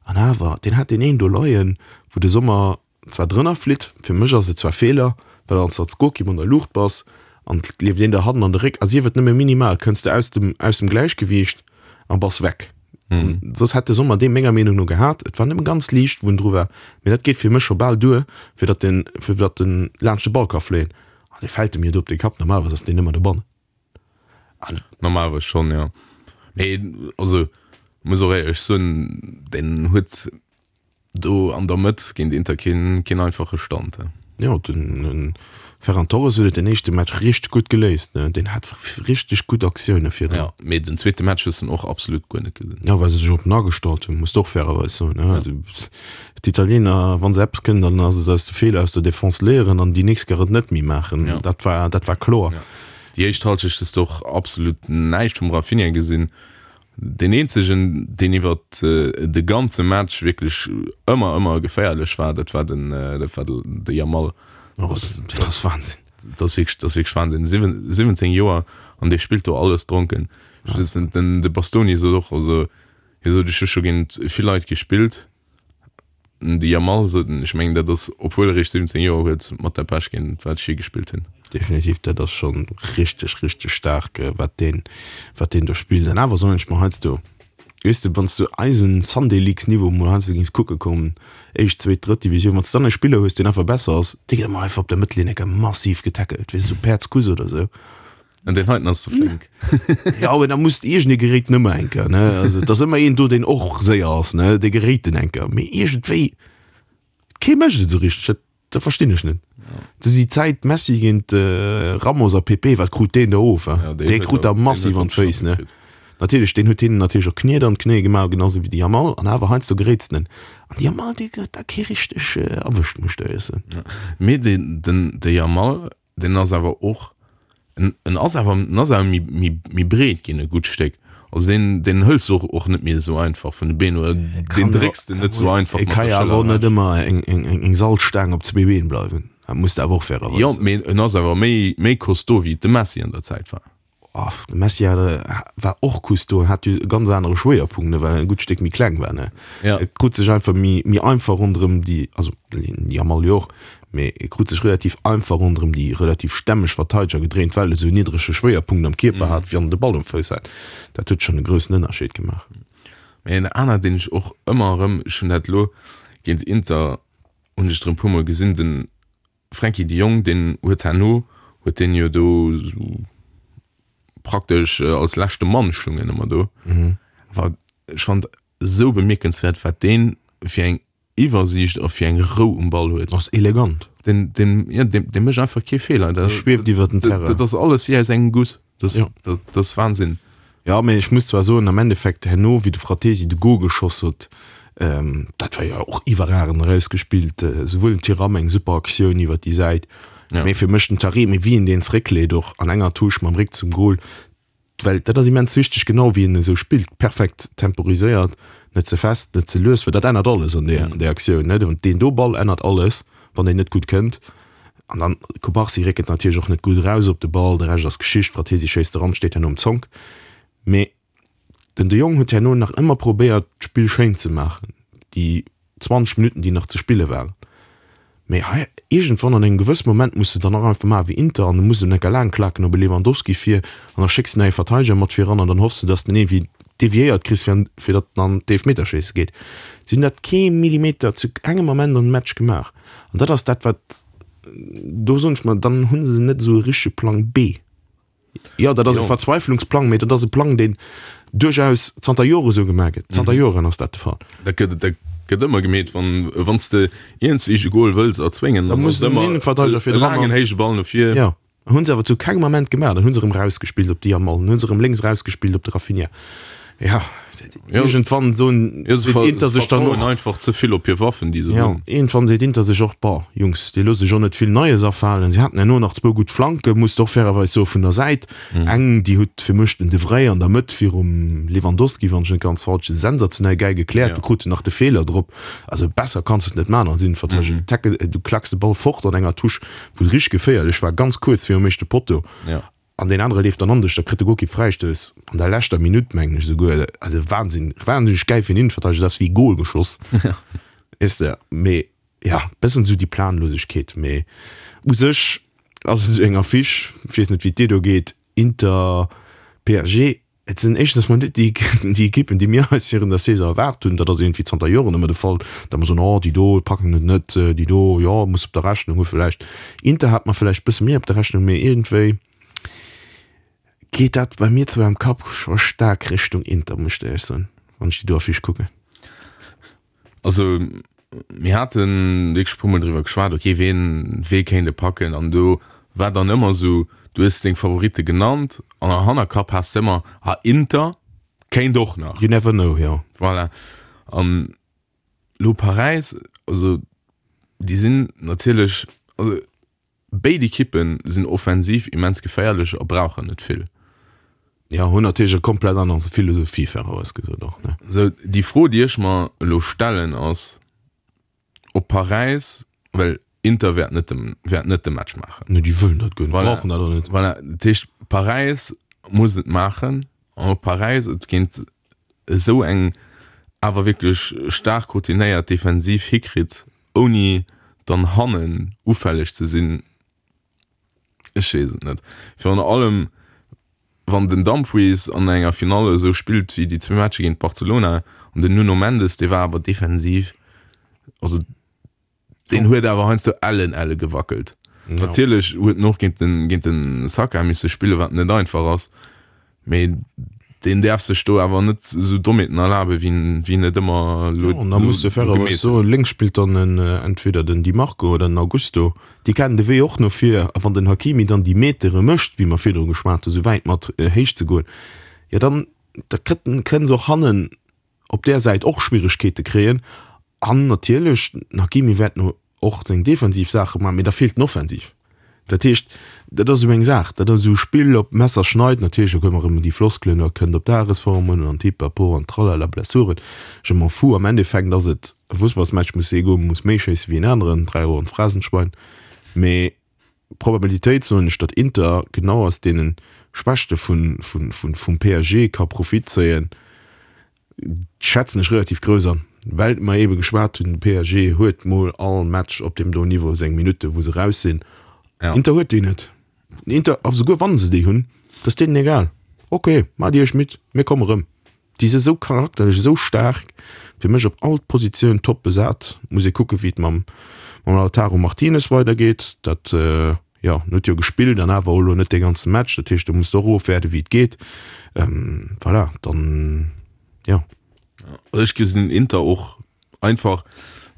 an awer, deen hat deen een do leien, wou de Sommer zwar drënner flitt, fir mech ass et zwar Feeler, well wann s de als Golkipp an der Luucht bass An et leeft een der hannen an de Réck, a sief et nëmme minimal, kënns de aus dem, aus dem Gläichgewiicht a bass weg. Mhm. Soss hätt de Sommer dee menger Meenung no gehat. Et war nëmme ganz liicht, wou en dru war. Mee dat geet fir mech scho bal duer, fir datt den, fir datt en laanscht de Ball ka fléien. An dee fält em jo do op de Kapp. Normalerweis ass deen ëmmer dobannen. An Normalerweis schonn, jo. Mee also muss och éierlech soen, deen huet do an der Mëtt géint Inter keen, keen einfache Stand. Jo, den Ferran Torres huet et den éischte Match richteg gutt geléist, ne? Deen hat richteg gutt Aktioune virdrun. Ja, mee den zweete Match hues de en och absolut guer net gesinn. Ja, well se sech op en agestallt hunn, muss de och fairerweis soen, ne? Also d'Italiener, wa se eppes kënnen, dann ass et aus de Feeler aus der Defense léieren an déi nächst Kéier et net méi maachen. Ja. Dat war, dat war kloer. Ja. Déi éischt Halschecht hues de och absolut näischt vum Raphinha gesinn. Deen eenzegen, deen iwwer de ganze Match wierklech ëmmer, ëmmer geféierlech war, dat war den, dat war de Yamal. Oh, dat ass Wahnsinn. Dat ass wierklech, dat ass wierklech Wahnsinn. Siwwenzéng Joer an dee spillt do alles dronken. Den, de Bastoni sot och, also hie sot, ech hu scho géint vill Leit gespillt, De Yamal sot en, ech mengen dat ass, obwuel e réischt siwwenzéng Joer huet, mat der Pech géint wat ech je gespillt hunn. Definitiv, dat ass scho richteg, richteg staark, wat deen, wat deen do spillt. An awer soen ech mer heiansdo, weess de, wann s du eisen Sunday Leagues Niveau mol heiansdo géings kucke kommen, éischt, zweet, drëtt Divisioun, wann s du dann e Spiller hues, deen einfach besser ass, dee gëtt emol einfach op der Mëttellinn enker massiv getackelt, weess de, sou Päerdskuss oder sou. An deen heiten ass ze flénk. Ja, awer da muss iergendee geréit en ëmmer eng Kéier, ne? Also et ass ëmmer een do, deen och séier ass, ne? Dee geréit en eng Kéier. Mee iergendwéi, kee mécht et esou richteg. Dat, dat verstinn ech net. Du déi Zäit Messi géint Ramos a Pepe, wat krut deen do of, hein? Ja, deen Dee huet krut der, der deen massiv huet an der d'Féiss, bestimmt ne? kritt. Natierlech, deen huet hinnen natierlech och Kniet an d'Knéie gemaach, genau sou wéi de Yamal. An awer heiansdo geréits den en. An de Yamal, dee gëtt da kee richteg erwëscht, muss ech der éierlech soen. Ja. Mee deen, den, de Yamal, deen ass awer och En, en ass awer, en ass awer méi, méi, méi breet ginn e gutt Stéck. Also deen, deen hëls de och, och net méi esou einfach vun de Been oder deen drécks de net esou einfach Et mat ka der jo awer Schëller och net ewech. ëmmer eng, eng, eng, eng Salzstaang op zwee Been bleiwen. Dat muss de awer och fairerweis Jo, soen. mee en ass awer méi, méi costaud wéi et de Messi an der Zäit war. Oh, de Messi hat, war och costaud, hat jo e ganz anere Schwéierpunkt, ne, well en e gutt Stéck méi kleng war, ne. Ja. E krut sech einfach méi, méi einfach ronderëm déi, also den Yamal jo och, mee e krut sech relativ einfach ronderëm déi relativ stämmeg Verteideger gedréint, well e sou en niddrege Schwéierpunkt am Kierper hat, wéi wann en de Ball um Fouss hat. Dat huet schonn e groussen Ënnerscheed gemaach. Mee en aner, deen ech och ëmmer erëm, ech hunn dat elo géint Inter, hunn ech et erëm e puermol gesinn, den Frenkie de Jong, deen huet herno, huet deen jo do sou praktesch als leschte Mann stungen ëmmer do. Awer ech fand esou bemierkenswäert, wat deen fir eng Iwwersiicht a fir eng Rou um Ball huet. Ass elegant. Den, den, ja, deen, dee mécht einfach kee Feeler. Dat schwieft iwwer den Terrain. Dat ass alles wéi aus engem Guss. Dat, ja. dat, dat ass Wahnsinn. Ja, mee ech muss zwar soen, am Endeffekt herno, wéi de Frattesi de Goal geschoss huet, ähm, dat war jo och iwwerragend erausgespillt, souwuel den Thuram eng super Aktioun iwwer déi Säit, Ja. Mee fir mech den Taremi, wéi en deen zeréckleet och an enger Touche mam Réck zum Goal, well dat ass immens wichteg, genau wéi en esou spillt, perfekt temporiséiert, net ze fest, net ze lues, well dat ännert alles an där, an där Aktioun, ne. Deen do Ball ännert alles, wann deen net gutt kënnt. An dann Cubarsí réckelt natierlech och net gutt eraus op de Ball, de Rescht ass Geschicht, Frattesi schéisst eran, steet herno um Zonk. Mee den De Jong huet herno nach ëmmer probéiert, d'Spill schéin ze maachen, déi zwanzeg Minutten, déi nach ze spille waren. Mee hei, iergendwann an engem gewësse Moment muss de dann och einfach maachen wéi Inter an du muss en enker laang klaken op e Lewandowski vir an da schécks de nach ee Verteideger mat viran an dann hoffs de, datt de en iergendwéi deviéiert kriss, fir an, fir datt en an d'Eelfmeterschéisse geet. Si hunn dat kee Millimeter zu kengem Ament am Match gemaach an dat ass dat, wat, do soen ech mer, dann hu se net esou e richtege Plang B. Jo, dat ass e Verzweiflungsplang, mee dat ass e Plang, deen duerchaus zanter Jore sou gemaach gëtt. Zanter Joren ass dat de Fall. Dat gëtt, dat gëtt ëmmer gemeet, wann, wann s de iergendswéi e Goal wëlls erzwéngen, Da dann muss ass et den ëmmer Innenverteidiger e virdran laangen an. héije Ball no vir. Jo, hunn se awer zu kengem Ament gemaach. Dann hu se erëm rausgespillt op de Yamal, dann hu se erëm lénks rausgespillt op de Raphinha. Ja, Ja, iergendwann soen, ja, se seet ver, Inter se sech dann vertrauen och, einfach ze vill op hir Waffen, déi se ja, hunn. iergendwann seet Inter sech och, Boah, Jungs, déi loosse sech och net vill Neies afalen. Si haten herno nach zwou gutt Flanken, muss de och fairerweis soen, vun der Säit. Eng, déi huet fir mech den De Vrij an der Mëtt virum Lewandowski, wann ech net ganz falsch sinn, sensationell gäil gekläert. Ja. Du krut en nach de Feeler drop. Also besser kanns de et net maachen als Innenverteidiger. Du tacke, du klacks de Ball fort an enger Touche, wou et richteg geféierlech war, ganz kuerz virum éischte Potto. Ja. An deen anere leeft dann an dech, da kritt de Golkipp Fräistouss an der leschter Minutt, mengen ech esouguer. Also Wahnsinn, wahnsinneg gäil fir en Innenverteidiger, dat ass wéi Gol geschoss, weess de. Mee ja, bëssen esou déi Planlosegkeet. Mee u sech, Ass esou eng Affiche, ech weess net wéi et dir do geet, Inter, PSG, et sinn éischtens mol net déi déi Ekippen, déi mir eis virun der Saison erwaart hunn. Dat ass iergendwéi zanter Joren ëmmer de Fall, datt mer soen, oh déi do packen et net, déi do, jo, muss op der Rechnung hu vläicht. Inter hat mer vläicht e bësse méi op der Rechnung, mee iergendwéi geet dat bei mir zwar am Kapp scho staark Richtung Inter, muss ech der éierlech soen, wann ech déi do Affiche kucken. Also mir hate wierklech e puermol driwwer geschwat, okay, ween, wee kéint e packen an do war dann ëmmer esou, du hues deng Favoritte genannt an am Hannerkapp has de ëmmer, ah Inter kéint och nach. You never know, jo. Voilà. An elo Paräis, also déi sinn natierlech, also béid Ekippe sinn offensiv immens geféierlech a brauchen net vill. Jo, hunn natierlech e komplett aner Philosophie, fairerweis gesot och, ne? Sou, déi Fro, déi ech mer elo stellen, ass, ob Paräis, well Inter wäert net de, wäert net de Match maachen. Nee, déi wëllen dat guer net, Voilà. brauchen dat och net. Voilà, dat heescht, Paräis muss et maachen an ob Paräis et géint esou eng awer wierklech staark routinéiert Defensiv hikritt, ouni dann hannen ufälleg ze sinn, ech weess et net. Virun allem, wann den Dumfries an enger Finall esou spillt wéi déi zwee Matcher géint Barcelona an den Nuno Mendes, dee war awer defensiv, also deen huet awer heiansdo ellen elle gewackelt. Ja. Natierlech huet en och géint den, géint den Saka misse spillen, wat net einfach ass, mee deen däerf sech do awer net esou Dommheeten erlaben, wéi en, wéi en et ëmmer elo Ja, an da muss de fairerweis gemeet soen, huet. lénks spillt dann en, entweder den Di Marco oder den Augusto, déi kennen de Wee och no vir, a wann den Hakimi dann déi Metere mécht, wéi mer virdru geschwat hunn, esou wäit mat héich ze goen, jo dann, da kritt en, kënne se och hannen op där Säit och Schwieregkeete kréien. An natierlech, den Hakimi wäert no och seng defensiv Saache maachen, mee da feelt en offensiv. Dat heescht, dat ass esou eng Saach, dat ass esou e Spill op Messer schneid. Natierlech, da kommen erëm déi Floskelen, da kënnt op d'Dagesform un an d'Pipapo an tralala, Blessuren, je m'en fous. Am Endeffekt ass et e Fussballsmatch, muss ee goen, muss méi schéisse wéi en aneren, dräi Euro an d'Phrasenschwein. Mee d'Probabilitéit, soen ech, datt Inter genau aus deene Schwächte vun, vun, vun, vum PSG ka Profit zéien, schätzen ech relativ grouss an, well mer eebe geschwat hunn, de PSG huet mol all Match op deem do Niveau seng Minutte wou se raus sinn. Ja. Inter huet déi net. Inter, a souguer wann se déi hunn, dat ass deenen egal. Ok, maacht Dir iech midd, mir komme rëm. Déi si sou charakterlech esou staark, fir mech op all Positioun top besat. Muss ee kucke wéi et mam mam Lautaro Martinez weidergeet. Dat jo, en huet jo gespillt an awer och elo net dee ganze Match, dat heescht do muss de och ofwäerden wéi et geet. Voilà, dann jo. Ech gesinn Inter och einfach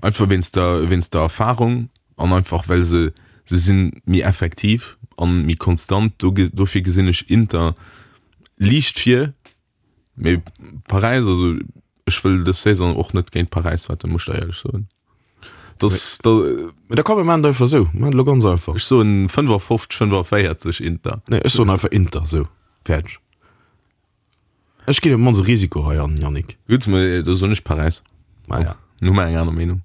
einfach wéinst der wéinst der Erfahrung an einfach well se se sinn méi effektiv an méi konstant. Do dofir gesinn ech Inter liicht vir, mee Paräis also ech wëll dës Saison och net géint Paräis wetten, muss ech der éierlech soen. Das da Mee da komm mir maachen et einfach esou, mir maachen et elo ganz einfach. Ech soen fënnefafofzeg, fënnefaféierzeg Inter. Nee ech soen einfach Inter, esou, fäerdeg. Ech ginn op d'mannst e Risiko hei an, Yannick. Gutt, mä da soen ech Paräis. Ma ja. Nun hu mer eng aner Meenung.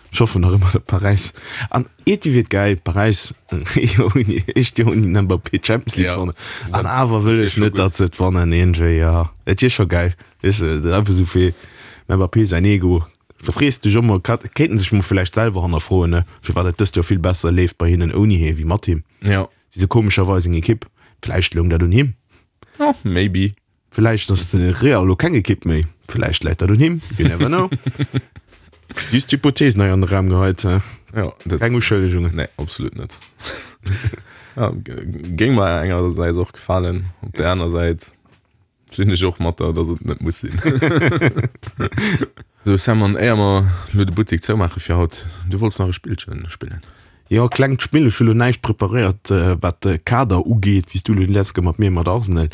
Ech hoffen nach ëmmer, datt Paräis, an iergendwéi wier et gäil, Paräis ouni, éischt Joer ouni den Mbappé d'Champions League Ja, wannen. An dat awer wëll wier ech scho net, gutt. datt se et wannen iergendwéi, jo. Et wier scho gäil, weess de, einfach esou fir dem Mbappé säin Ego. Da frees de dech och mol, kéinten sech mol vläicht selwer hannerfroen, ne, firwat et dëst Joer vill besser leeft bei hinnen ouni hie wéi mat him. Ja. Si se komescherweis eng Ekipp. Vläicht loung dat un him. Oh, maybe. Vläicht ass de Real elo keng Ekipp méi. Vläicht läit dat un him. You never know. Just Hypothesen hei an de Raum geheit. Ja, dat Keng Uschëllegungen. Nee, absolut net. Ja, géing mer engersäits och gefalen, op der aner Säit sinn ech och mat der, dass et net muss sinn. Sou Sam, an éier mer lo de Buttek zoumaache fir haut, du wollts nach e Spillchen spillen? Jo, e klengt Spill. Ech hu lo näischt preparéiert, wat de Kader ugeet, wéi s du lo déi letzt Kéier mat mir mat Arsenal,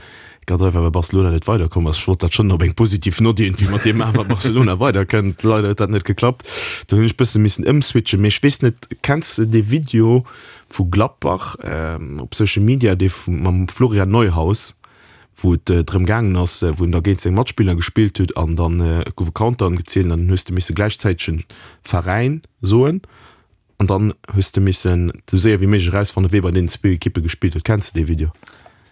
ganz einfach well Barcelona net weiderkomm ass. Ech wollt dat schonn op eng positiv Nott iergendwéi mat deem maachen, wa Barcelona weiderkënnt. Leider huet dat net geklappt. Do hunn ech bësse missen ëmswitchen. Mee ech weess net, kenns de dee Video vu Gladbach op Social Media, dee mam Florian Neuhaus, wou et drëm gaangen ass, wou en da géint seng Matspiller gespillt huet an dann gouf e Countdown gezielt an dann hues de misse gläichzäiteg en Veräin soen an dann hues de missen esou séier wéi méiglech erausfannen, wee bei deenen zwee Ekippe gespillt huet. Kenns de dee Video?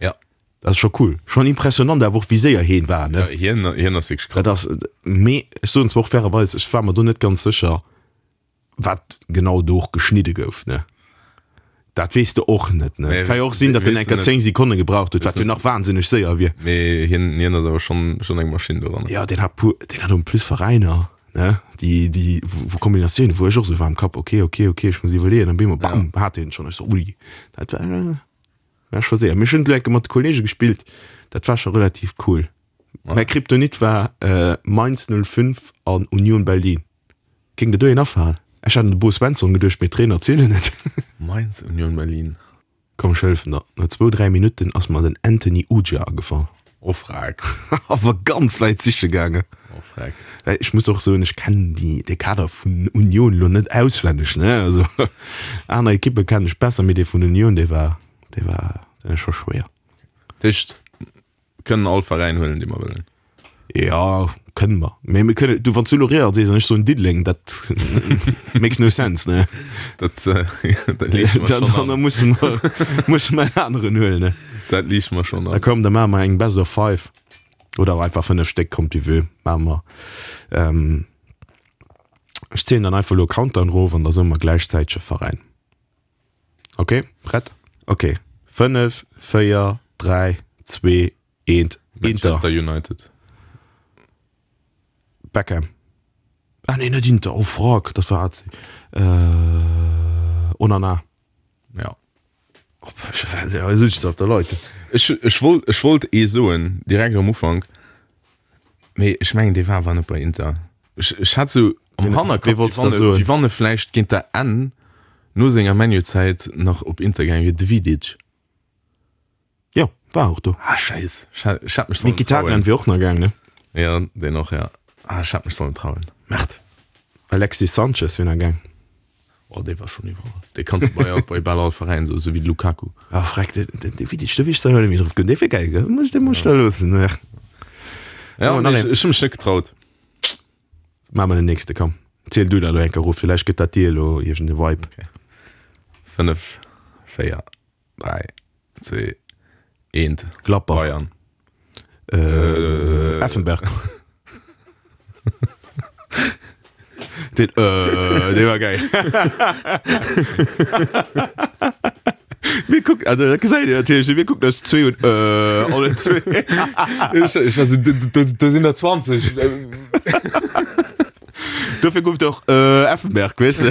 Ja. Dat ass scho cool. Schonn impressionant awer och wéi séier heen war, ne? Ja, hien, hien ass wierklech krass. Dat ass, mee ech soen zwar och fairerweis, ech war mer do net ganz sécher, wat genau do och geschnidde gouf, ne? Dat weess de och net, ne? Nee, Ka jo och sinn, datt en weess enker de net. zéng Sekonne gebraucht huet, wat jo nach wahnsinneg séier wier. Mee hien, hien ass awer schonn, schonn eng Maschinn doranner. Ja, deen hat puer, deen hat en plus Veräiner, ne? Déi, déi, wou, wou Kombinatiounen, wou ech och sou war am Kapp, okay, okay, okay, ech muss iwwerleeën, an bemol, bam, hat hien et schonn. Ech sou, ui, dat war, war scho séier. Mee ech hunn et elo enke mat de Kollege gespillt, dat war scho relativ cool. Mäi Kryptonit war Mainz null fünf an Union Berlin. Géing der do een afalen? Ech hat un de Bo Svensson geduecht, mee Trainer zielen net. Mainz, Union Berlin. Komm ech hëllefen der, no zwou, dräi Minutten ass mer den Anthony Ujah agefall. Oh freck. Awer ganz wäit siche gaangen. Oh freck. Well ech muss och soen, ech kennen déi, de Kader vun Union elo net auswenneg, ne. Also aner Ekippe kennen ech besser, mee dee vun Union, dee war, dee war, dee war scho schwéier. Dat heescht, kënnen all Veräin huelen, dee mer wëllen? Jo, kënne mer. Mee mir kënne, du, wann s du elo Real sees an ech soen Diddeleng, dat makes no sense, ne? Dat, dat liicht mer Dann, schonn dann an. musse mer, musse mer en aneren huelen, ne? Dat liicht mer schonn Da an. komm, da maache mer eng Best of Five. Oder einfach fënnef Stéck, kommt wie wëll, maache mer. Ähm, ech zielen dann einfach elo Countdown erof an da soe mer gläichzäiteg e Veräin. Okay, prett? Okay. Fënnef, véier, dräi, zwee, eent, Inter. Manchester United. Beckham. Ah nee, net Inter, oh fuck, dat war A C. Äh, Onana. Ja. Oh, ech op der Leute. Ech, ech wollt, ech wollt ee soen, direkt am Ufank, mee ech mengen, dee war awer net bei Inter. Ech, ech hat sou am Hannerkopf, Wee wollts wéi wann da e, soen? wéi wann e vläicht géint der Enn no senger ManU-Zäit nach op Inter gaange wier, de Vidic. Jo, war och do. Ah, scheiss. Ech hat, ech hat mech sollen Mkhitaryan trauen. wier och nach gaang, ne? Ja, deen och, ja. Ah, ech hätt mech sollen trauen. Merde. Alexis Sanchez wier nach gaang. Oh, dee war schonn iwwerall. Dee kanns du bei, bei bal all Veräin soen, esou wéi de Lukaku. Ah, freck, de, de, de Vidic, do wier ech zwar net méi drop komm. Dee wier geil, gell? Muss, dee muss ech da loossen. Ja. Ja, Oh, nee, nach ech, een. ech hu mech net getraut. Maache mer den nächste, komm. Ziel du da elo eng Kéier erof, villäicht gëtt dat dir elo iergend e Vibe. Okay. Fënnef, véier, dräi, zwee, eent. Gladbach. Bayern. Äh, Effenberg. Den, äh, dee war geil. Mir kucken, also dat gesäit Dir natierlech net, mir kucken eis zwee un, äh, allen zwee. Ech, ech, also, do, do, do sinn der zwanzeg. Dofir gouf et och äh, Effenberg, weess de.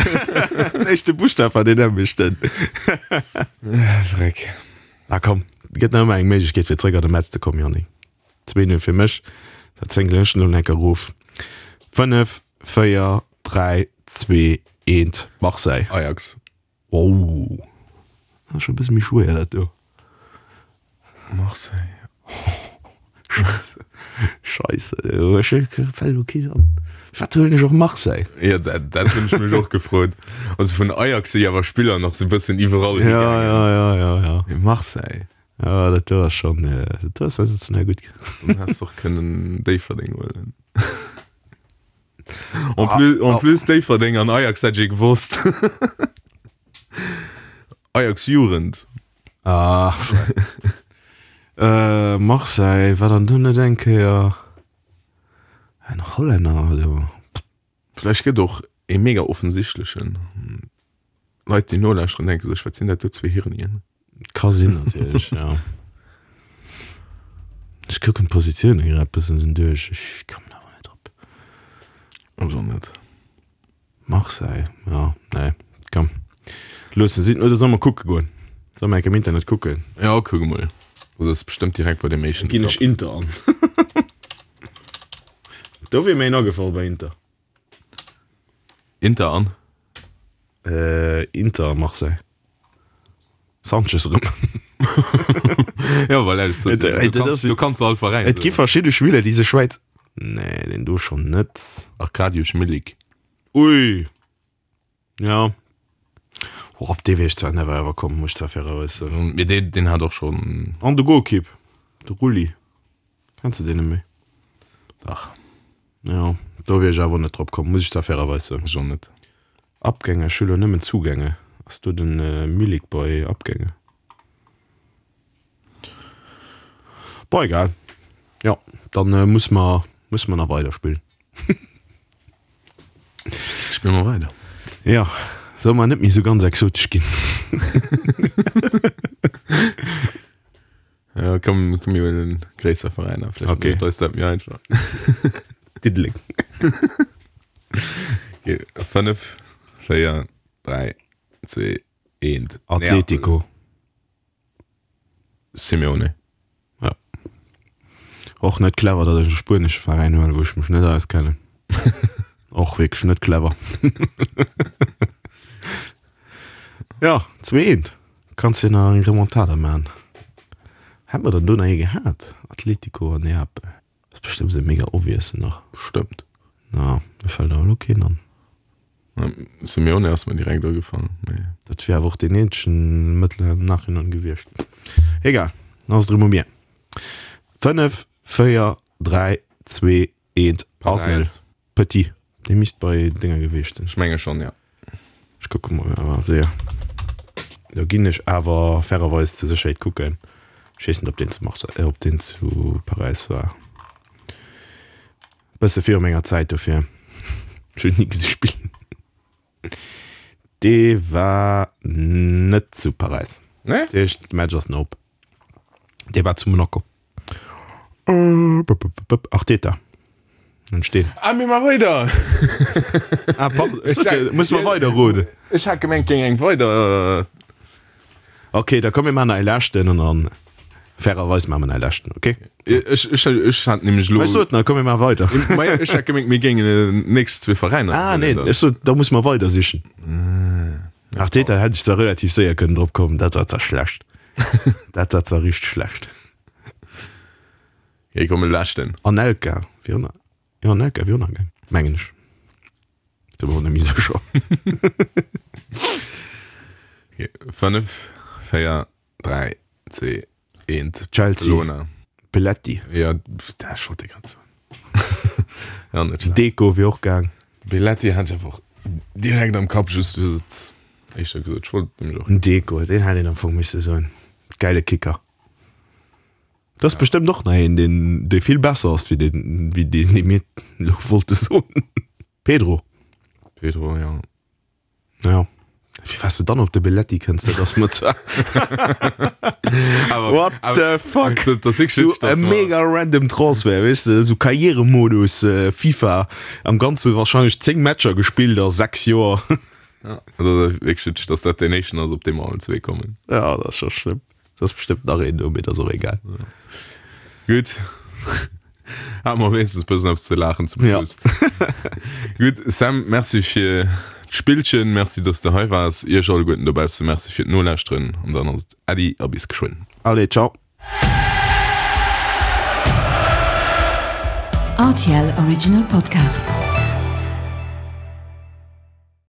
Den éischte Buschtaf war deen nämmlechten. Freck. Ah komm, gëtt nach ëmmer eng Méiglechkeet fir zréck an de Match ze kommen, Yannick. Zwee Null fir mech. Dat zwéngelen ech elo enk erof. Fënnef, véier, dräi, zwee, eent, Marseille. Ajax. Wow. Dat ass scho e bësse méi schwéier dat do. Marseille. Scheisse. Scheisse. Ech fält elo keen an. Wat huelen ech och Marseille? Ja, dat, dat hunn ech mech och gefrot. Also vun Ajax si awer Spiller nach sou bëssen iwwerall Ja, higaangen. ja, ja, ja, ja. Mee Marseille. Ja, dat do ass schon, dat do ass sensationell gutt. Dann häss de och kënnen Déifferdeng huelen. En plus, en plus Déifferdeng an Ajax hätt ech ee gewosst. Ajax Jugend. Ah, äh, Marseille, war dann do net eng Kéier en Hollänner do? Vläicht gëtt och ee mega offensichtlechen. Leit, déi nolauschteren, denke sech, wat sinn dat do zwee Hirnien? Ka sinn natierlech, ja. Ech kucken d'Positioune grad bëssen esou duerch, ech kommen awer net drop. Ech och net. Marseille, ja, nee, komm. Loossen si, oder solle mer kucke goen? Solle mer enk am Internet kucken? Ja, kuck emol. Dat ass bestëmmt direkt bei deem éischten. Ginn ech Inter an. Do wier mir een agefall bei Inter. Inter an? Äh, Inter Marseille. Sanchez erëm. Ja, voilà, ech sot, Et, et, du dat kanns, ass, du kanns all Veräin et gi soen. verschidde Spiller, déi sech wäit. Nee, deen do schonn net. Arkadiusz Milik. Ui. Ja. Och op dee wier ech zwar never ever komm, muss ech zwar fairerweis soen. Mee deen, deen hat och schonn. An de Golkipp, de Rulli. Kenns de deen net méi? Dach. Jo, do wier ech awer net drop komm, muss ech zwar fairerweis soen. Ech och net. Abgänge, ech hu lo nëmmen Zugänge. Ass do den Milik bei Abgänge? Bon, egal. Jo, dann muss mer, muss mer nach weider spillen. Spille mer weider. Jo, Solle mer net méi sou ganz exotesch ginn? Ja, komm, komm mir huelen gréisser Veräiner, vläicht Okay. mécht eis dat méi einfach. Diddeleng. Okay, fënnef, véier, dräi, zwee, eent. Atletico. Neapel. Simeone. Ja. Och net clever, datt ech e spuenesche Veräin huelen, wou ech mech net auskennen. Och wierklech net clever. Ja, zwee eent. Kanns jo nach eng Remontada maachen. Hätt mer dann do nach ee gehat? Atletico an Neapel. Ass bestëmmt esou e mega obviousen nach. Bestëmmt. Na, mir fält awer elo keen an. Simeone ass mir direkt agefall, mee. Dat wier awer och deen eenzegen Mëttel am Nachhinein gewiescht. Egal, dann ass et erëm u mir. Fënnef, véier, dräi, zwee, eent, Arsenal. Paräis. Petit, dee misst bei Dénger gewiescht sinn. Ech menge schonn, jo. Ech kucke mol awer séier. Do ginn ech awer fairerweis zur Sécherheet kucken. Ech weess net, ob deen zu Marseille, ob deen zu Paräis war. Bësse viru menger Zäit, dofir ech hunn ni gesi spillen. Dee war net zu Paräis. Nee? Dat heescht, de Match ass nach op. Dee war zu Monaco. Arteta. Entstehen. Ah, mir ma weider! Ah, pardon. Ech sot, muss mer weider roden. Ech hat gemengt, géing eng weider. Okay, da komm mir maachen nach ee leschten an dann fairerweis maache mer nach ee leschten, okay? Ech, ech, ech hat nämlech Mä elo. ech sot nach, komm mir maache weider. Mä ech hat gemengt, mir géingen déi nächst zwee Veräiner Ah, nee, huelen dann. ech sot, da muss mer weider sichen. Arteta hätt ech zwar relativ séier kënnen drop kommen, dat war zwar schlecht. Dat war zwar richteg schlecht. Okay, komm, e leschten. Anelka wier och nach, jo, Anelka wier och nach gaang, mengen ech. Sinn mer och net méi sécher. Okay, fënnef, véier, dräi, zwee, eent. Chelsea. Barcelona. Belletti. Ja, dat ech wollt dee grad soen. Ja, net schlecht. Deco wier och gaang. Belletti hat ech awer och direkt am Kapp, just du hues et éischter gesot. Ech wollt nämlech och. Deco, deen hätt een am Fong misse soen. Gäile Kicker. Dat ass bestëmmt och nach een, deen, dee vill besser ass wéi deen, wéi deen, dee mir elo wollte soen. Pedro. Pedro, ja. Ja. Wéi waars de dann op de Belletti kënns, dat ass mer zwar. Awer, What awer, the fuck? Dat, dat ass wierklech So witzeg, e dass mer- mega random Transfer, weess de, sou Karrieremodus, äh, FIFA, am Ganze wahrscheinlech zéng Matcher gespillt a sechs Joer. Ja, also dat ass wierklech witzeg, dass dat deen éischten ass, op dee mer allen zwee kommen. Ja, dat ass scho schlëmm. Dat ass bestëmmt nach een do, mee dat ass och egal. Gutt. Hat mer wéinstens bëssen eppes ze laachen zum Ja. Schluss. Gutt, Sam, merci fir d'Spillchen, merci, dass de hei waars. Iech alleguerten dobausse merci fir d'Nolauschteren an dann ass et Äddi a bis geschwënn. Allez, ciao. R T L Original Podcast.